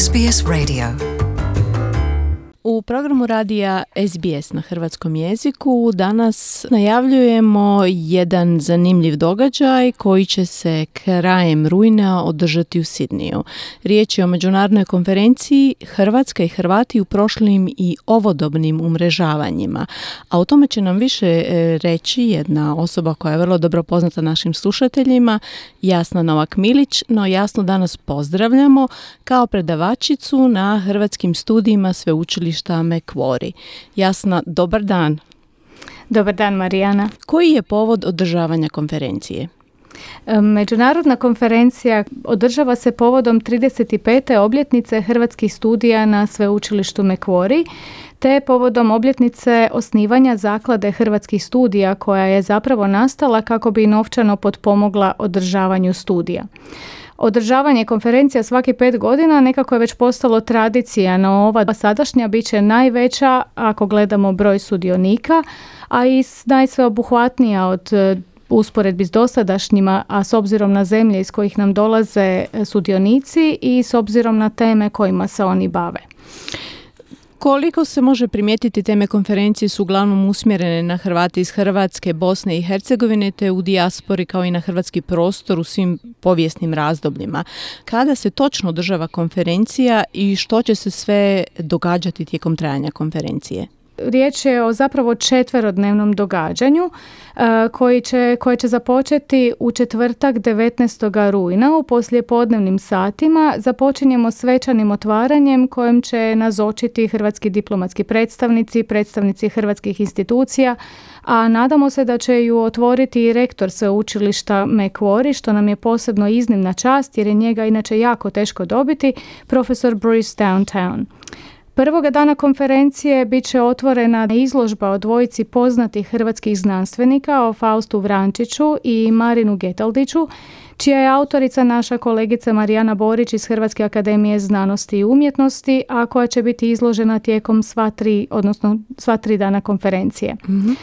SBS Radio. U programu radija SBS na hrvatskom jeziku danas najavljujemo jedan zanimljiv događaj koji će se krajem rujna održati u Sidniju. Riječ je o međunarodnoj konferenciji Hrvatska i Hrvati u prošlim i ovodobnim umrežavanjima. A o tome će nam više reći jedna osoba koja je vrlo dobro poznata našim slušateljima, Jasna Novak-Milić, no Jasnu danas pozdravljamo kao predavačicu na hrvatskim studijima sveučilišta Macquarie. Jasna, dobar dan. Dobar dan, Marijana. Koji je povod održavanja konferencije? Međunarodna konferencija održava se povodom 35. obljetnice hrvatskih studija na sveučilištu Macquarie, te povodom obljetnice osnivanja Zaklade hrvatskih studija koja je zapravo nastala kako bi novčano potpomogla održavanju studija. Održavanje konferencija svaki 5 godina nekako je već postalo tradicija, no ova sadašnja bit će najveća ako gledamo broj sudionika, a i najsveobuhvatnija od usporedbi s dosadašnjima, a s obzirom na zemlje iz kojih nam dolaze sudionici i s obzirom na teme kojima se oni bave. Koliko se može primijetiti, teme konferencije su uglavnom usmjerene na Hrvate iz Hrvatske, Bosne i Hercegovine te u dijaspori kao i na hrvatski prostor u svim povijesnim razdobljima. Kada se točno održava konferencija i što će se sve događati tijekom trajanja konferencije? Riječ je o zapravo 4-dnevnom događanju koje će započeti u četvrtak 19. rujna u poslijepodnevnim satima. Započinjemo svečanim otvaranjem kojem će nazočiti hrvatski diplomatski predstavnici hrvatskih institucija, a nadamo se da će ju otvoriti i rektor sveučilišta Macquarie, što nam je posebno iznimna čast jer je njega inače jako teško dobiti, profesor Bruce Downtown. Prvoga dana konferencije bit će otvorena izložba o dvojici poznatih hrvatskih znanstvenika, o Faustu Vrančiću i Marinu Getaldiću, čija je autorica naša kolegica Marijana Borić iz Hrvatske akademije znanosti i umjetnosti, a koja će biti izložena tijekom sva tri dana konferencije. Mm-hmm.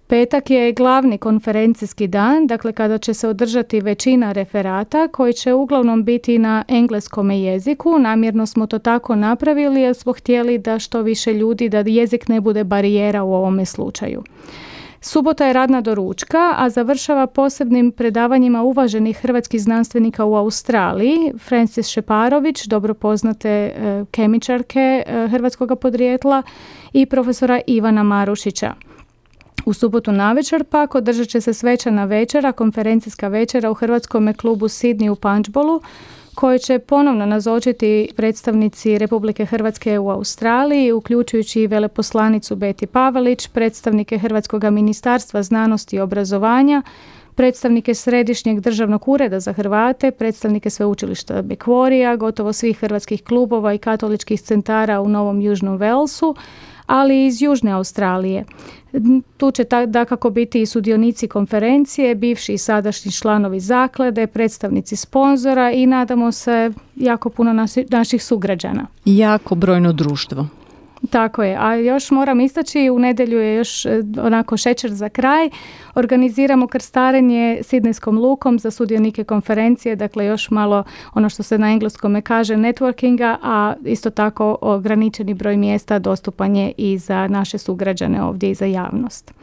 Petak je glavni konferencijski dan, dakle kada će se održati većina referata koji će uglavnom biti na engleskom jeziku. Namjerno smo to tako napravili jer smo htjeli da što više ljudi, da jezik ne bude barijera u ovome slučaju. Subota je radna do ručka, a završava posebnim predavanjima uvaženih hrvatskih znanstvenika u Australiji, Francis Šeparović, dobro poznate kemičarke hrvatskog podrijetla, i profesora Ivana Marušića. U subotu navečer pak održat će se svečana večera, konferencijska večera u hrvatskome klubu Sidney u Punchbowlu, koji će ponovno nazočiti predstavnici Republike Hrvatske u Australiji, uključujući i veleposlanicu Beti Pavelić, predstavnike Hrvatskog ministarstva znanosti i obrazovanja, predstavnike Središnjeg državnog ureda za Hrvate, predstavnike sveučilišta Macquarie, gotovo svih hrvatskih klubova i katoličkih centara u Novom Južnom Walesu, ali i iz Južne Australije. Tu će dakako biti i sudionici konferencije, bivši i sadašnji članovi zaklade, predstavnici sponzora i nadamo se jako puno naših sugrađana. Jako brojno društvo. Tako je, a još moram istaći, u nedjelju je još onako šećer za kraj. Organiziramo krstarenje Sidnejskom lukom za sudionike konferencije, dakle još malo ono što se na engleskome kaže networkinga, a isto tako ograničeni broj mjesta dostupan je i za naše sugrađane ovdje i za javnost.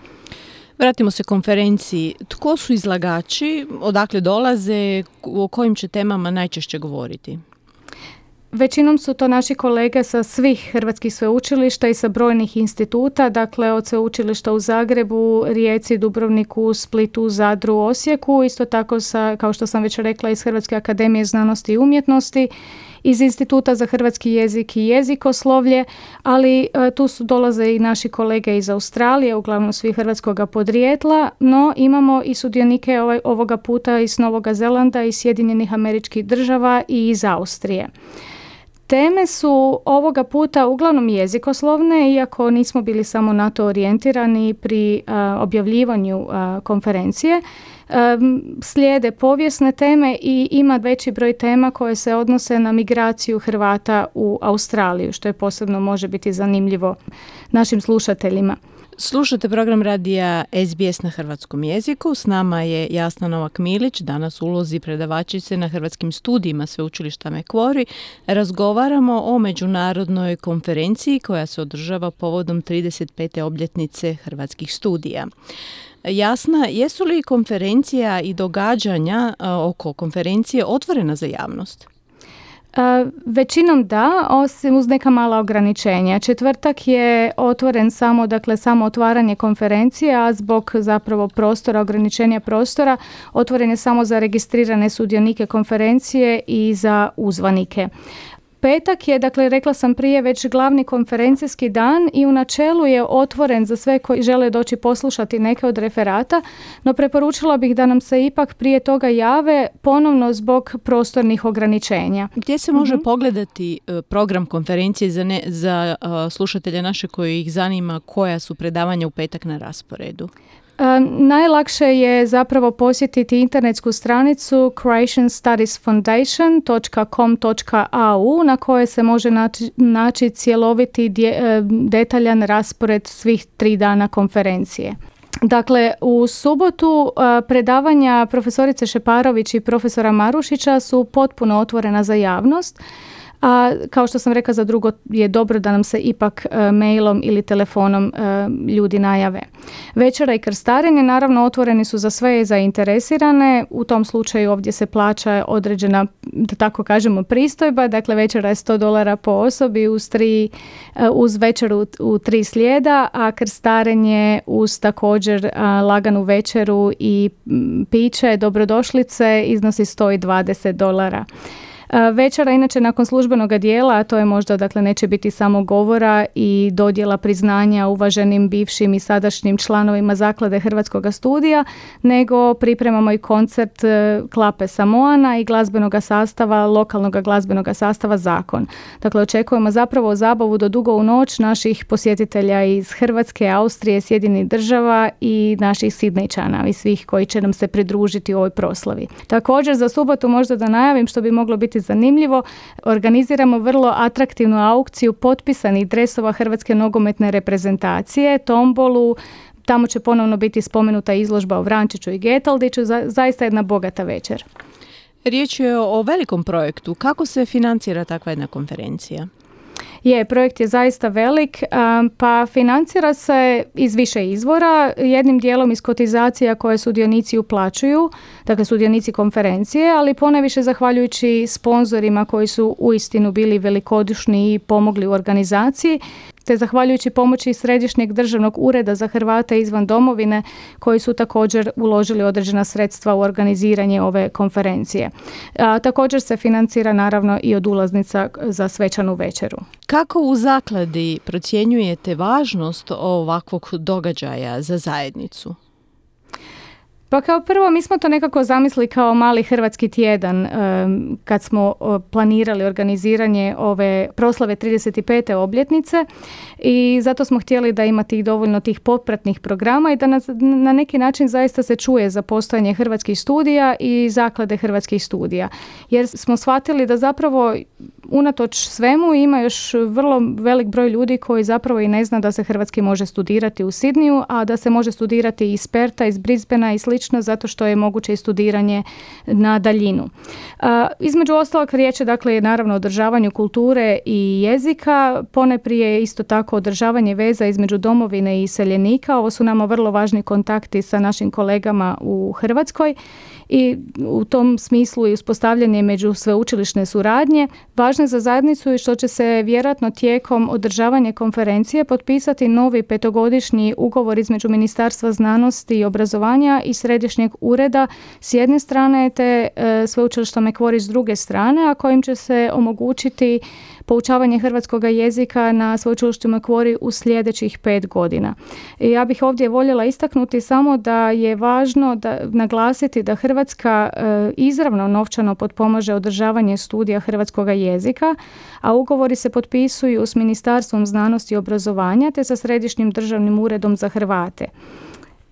Vratimo se konferenciji. Tko su izlagači, odakle dolaze, o kojim će temama najčešće govoriti? Većinom su to naši kolege sa svih hrvatskih sveučilišta i sa brojnih instituta, dakle od sveučilišta u Zagrebu, Rijeci, Dubrovniku, Splitu, Zadru, Osijeku, isto tako kao što sam već rekla, iz Hrvatske akademije znanosti i umjetnosti, iz Instituta za hrvatski jezik i jezikoslovlje, ali tu dolaze i naši kolege iz Australije, uglavnom svi hrvatskoga podrijetla, no imamo i sudionike ovoga puta iz Novoga Zelanda, iz Sjedinjenih Američkih Država i iz Austrije. Teme su ovoga puta uglavnom jezikoslovne, iako nismo bili samo na to orijentirani pri objavljivanju konferencije. Slijede povijesne teme i ima veći broj tema koje se odnose na migraciju Hrvata u Australiju, što je posebno može biti zanimljivo našim slušateljima. Slušate program radija SBS na hrvatskom jeziku. S nama je Jasna Novak-Milić, danas u ulozi predavačice na hrvatskim studijima Sveučilišta Macquarie. Razgovaramo o međunarodnoj konferenciji koja se održava povodom 35. obljetnice hrvatskih studija. Jasna, jesu li konferencija i događanja oko konferencije otvorena za javnost? Većinom da, osim uz neka mala ograničenja. Četvrtak je otvoren samo otvaranje konferencije, a zbog zapravo ograničenja prostora, otvoren je samo za registrirane sudionike konferencije i za uzvanike. Petak je, rekla sam prije, već glavni konferencijski dan i u načelu je otvoren za sve koji žele doći poslušati neke od referata, no preporučila bih da nam se ipak prije toga jave ponovno zbog prostornih ograničenja. Gdje se može pogledati program konferencije za slušatelje naše koji ih zanima koja su predavanja u petak na rasporedu? Najlakše je zapravo posjetiti internetsku stranicu croatianstudiesfoundation.com.au na kojoj se može naći cjeloviti detaljan raspored svih 3 dana konferencije. Dakle, u subotu predavanja profesorice Šeparović i profesora Marušića su potpuno otvorena za javnost. A kao što sam rekla, za drugo je dobro da nam se ipak mailom ili telefonom ljudi najave. Večera i krstarenje naravno otvoreni su za sve zainteresirane. U tom slučaju ovdje se plaća određena, da tako kažemo, pristojba. Dakle, večera je $100 po osobi uz večeru u 3 slijeda, a krstarenje uz također laganu večeru i piće dobrodošlice iznosi $120. Večera, inače, nakon službenog dijela, a to je možda, neće biti samo govora i dodjela priznanja uvaženim bivšim i sadašnjim članovima Zaklade Hrvatskog studija, nego pripremamo i koncert Klape Samoana i lokalnog glazbenog sastava Zakon. Dakle, očekujemo zapravo zabavu do dugo u noć naših posjetitelja iz Hrvatske, Austrije, Sjedinjenih Država i naših Sidnejčana i svih koji će nam se pridružiti u ovoj proslavi. Također, za subotu možda da najavim, što bi moglo biti zanimljivo, organiziramo vrlo atraktivnu aukciju potpisanih dresova Hrvatske nogometne reprezentacije, tombolu. Tamo će ponovno biti spomenuta izložba o Vrančiću i Getaldiću, zaista jedna bogata večer. Riječ je o velikom projektu. Kako se financira takva jedna konferencija? Projekt je zaista velik, pa financira se iz više izvora, jednim dijelom iz kotizacija koje sudionici uplaćuju, dakle sudionici konferencije, ali ponajviše zahvaljujući sponzorima koji su uistinu bili velikodušni i pomogli u organizaciji, te zahvaljujući pomoći Središnjeg državnog ureda za Hrvate izvan domovine koji su također uložili određena sredstva u organiziranje ove konferencije. Također se financira naravno i od ulaznica za svečanu večeru. Kako u zakladi procjenjujete važnost ovakvog događaja za zajednicu? Pa kao prvo, mi smo to nekako zamislili kao mali hrvatski tjedan kad smo planirali organiziranje ove proslave 35. obljetnice i zato smo htjeli da ima dovoljno tih popratnih programa i da na neki način zaista se čuje za postojanje hrvatskih studija i zaklade hrvatskih studija. Jer smo shvatili da zapravo unatoč svemu ima još vrlo velik broj ljudi koji zapravo i ne zna da se hrvatski može studirati u Sidniju, a da se može studirati iz Perta, iz Brisbanea i slično, zato što je moguće i studiranje na daljinu. Između ostalog, riječ je naravno o održavanju kulture i jezika, ponajprije isto tako održavanje veza između domovine i iseljenika. Ovo su nama vrlo važni kontakti sa našim kolegama u Hrvatskoj i u tom smislu i uspostavljanje među sveučilišne suradnje. Važno je za zajednicu i što će se vjerojatno tijekom održavanja konferencije potpisati novi 5-godišnji ugovor između Ministarstva znanosti i obrazovanja i Središnjeg ureda s jedne strane te sveučilišta Macquarie s druge strane, a kojim će se omogućiti poučavanje hrvatskog jezika na sveučilištu Macquarie u sljedećih 5 godina. I ja bih ovdje voljela istaknuti samo da je važno naglasiti da Hrvatska izravno novčano potpomaže održavanje studija hrvatskog jezika, a ugovori se potpisuju s Ministarstvom znanosti i obrazovanja te sa Središnjim državnim uredom za Hrvate.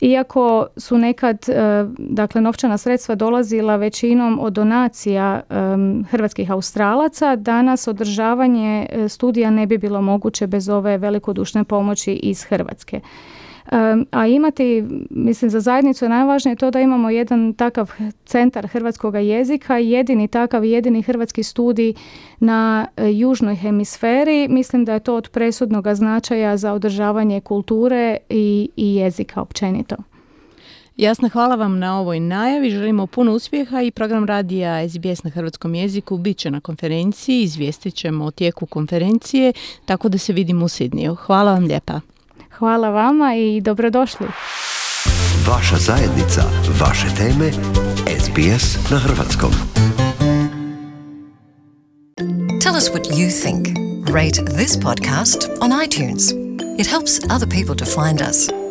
Iako su nekad novčana sredstva dolazila većinom od donacija hrvatskih Australaca, danas održavanje studija ne bi bilo moguće bez ove velikodušne pomoći iz Hrvatske. A imati, mislim, za zajednicu je najvažnije to da imamo jedan takav centar hrvatskog jezika, jedini takav, jedini hrvatski studij na južnoj hemisferi. Mislim da je to od presudnog značaja za održavanje kulture i jezika općenito. Jasna, hvala vam na ovoj najavi. Želimo puno uspjeha i program radija SBS na hrvatskom jeziku bit će na konferenciji. Izvijestit ćemo o tijeku konferencije, tako da se vidimo u Sidniju. Hvala vam lijepa. Hvala vama i dobrodošli. Vaša zajednica, vaše teme, SBS na hrvatskom. Tell us what you think. Rate this podcast on iTunes. It helps other people to find us.